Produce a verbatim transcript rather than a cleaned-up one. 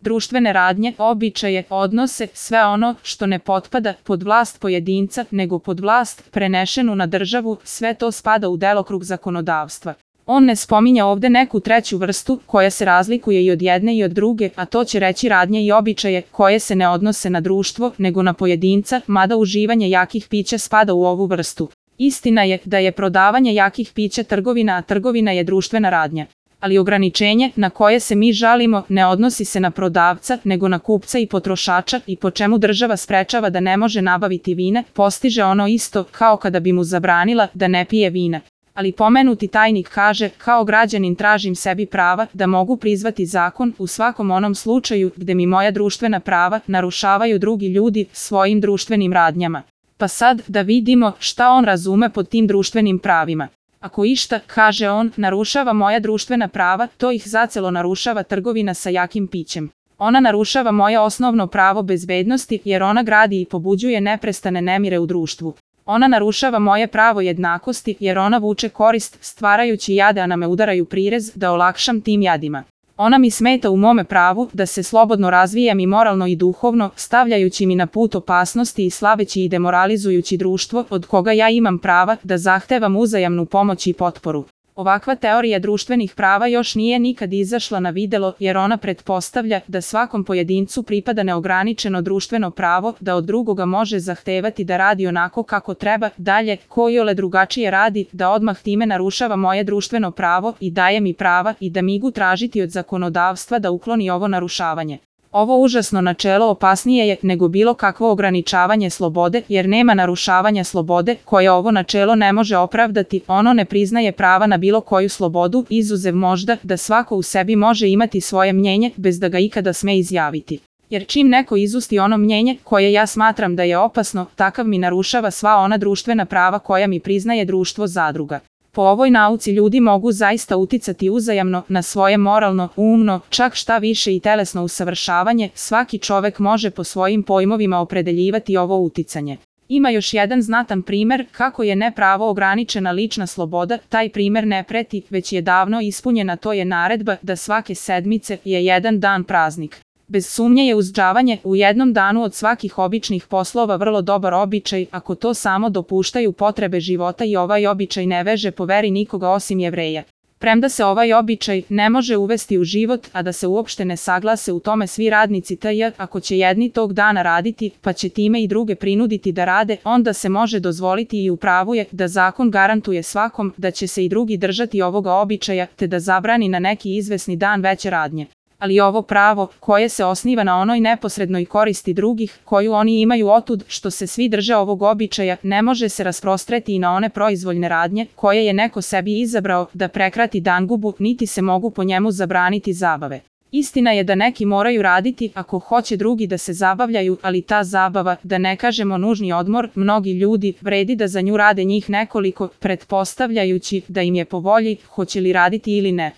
društvene radnje, običaje, odnose, sve ono što ne potpada pod vlast pojedinca, nego pod vlast prenešenu na državu, sve to spada u delokrug zakonodavstva. On ne spominje ovde neku treću vrstu koja se razlikuje i od jedne i od druge, a to će reći radnje i običaje koje se ne odnose na društvo, nego na pojedinca, mada uživanje jakih pića spada u ovu vrstu. Istina je da je prodavanje jakih pića trgovina, a trgovina je društvena radnja. Ali ograničenje na koje se mi žalimo ne odnosi se na prodavca, nego na kupca i potrošača, i po čemu država sprečava da ne može nabaviti vina, postiže ono isto kao kada bi mu zabranila da ne pije vina. Ali pomenuti tajnik kaže, kao građanin tražim sebi prava da mogu prizvati zakon u svakom onom slučaju gde mi moja društvena prava narušavaju drugi ljudi svojim društvenim radnjama. Pa sad da vidimo šta on razume pod tim društvenim pravima. Ako išta, kaže on, narušava moja društvena prava, to ih zacelo narušava trgovina sa jakim pićem. Ona narušava moje osnovno pravo bezbednosti jer ona gradi i pobuđuje neprestane nemire u društvu. Ona narušava moje pravo jednakosti jer ona vuče korist stvarajući jade, a na me udaraju prirez da olakšam tim jadima. Ona mi smeta u mome pravu da se slobodno razvijam i moralno i duhovno, stavljajući mi na put opasnosti i slaveći i demoralizujući društvo od koga ja imam prava da zahtevam uzajamnu pomoć i potporu. Ovakva teorija društvenih prava još nije nikad izašla na videlo jer ona pretpostavlja da svakom pojedincu pripada neograničeno društveno pravo da od drugoga može zahtevati da radi onako kako treba, dalje, ko iole drugačije radi, da odmah time narušava moje društveno pravo i daje mi prava i da migu tražiti od zakonodavstva da ukloni ovo narušavanje. Ovo užasno načelo opasnije je nego bilo kakvo ograničavanje slobode, jer nema narušavanja slobode koje ovo načelo ne može opravdati, ono ne priznaje prava na bilo koju slobodu, izuzev možda da svako u sebi može imati svoje mnjenje bez da ga ikada sme izjaviti. Jer čim neko izusti ono mnjenje koje ja smatram da je opasno, takav mi narušava sva ona društvena prava koja mi priznaje društvo zadruga. Po ovoj nauci ljudi mogu zaista uticati uzajamno na svoje moralno, umno, čak šta više i telesno usavršavanje, svaki čovek može po svojim pojmovima opredeljivati ovo uticanje. Ima još jedan znatan primer kako je nepravo ograničena lična sloboda, taj primer ne preti, već je davno ispunjena, to je naredba da svake sedmice je jedan dan praznik. Bez sumnje je uzdržavanje u jednom danu od svakih običnih poslova vrlo dobar običaj ako to samo dopuštaju potrebe života i ovaj običaj ne veže po veri nikoga osim Jevreja. Premda se ovaj običaj ne može uvesti u život, a da se uopšte ne saglase u tome svi radnici tj. ako će jedni tog dana raditi, pa će time i druge prinuditi da rade, onda se može dozvoliti i u pravu je da zakon garantuje svakom da će se i drugi držati ovoga običaja, te da zabrani na neki izvesni dan veće radnje. Ali ovo pravo, koje se osniva na onoj neposrednoj koristi drugih, koju oni imaju otud što se svi drže ovog običaja, ne može se rasprostreti i na one proizvoljne radnje, koje je neko sebi izabrao da prekrati dangubu, niti se mogu po njemu zabraniti zabave. Istina je da neki moraju raditi ako hoće drugi da se zabavljaju, ali ta zabava, da ne kažemo nužni odmor, mnogi ljudi vredi da za nju rade njih nekoliko, pretpostavljajući da im je po volji, hoće li raditi ili ne.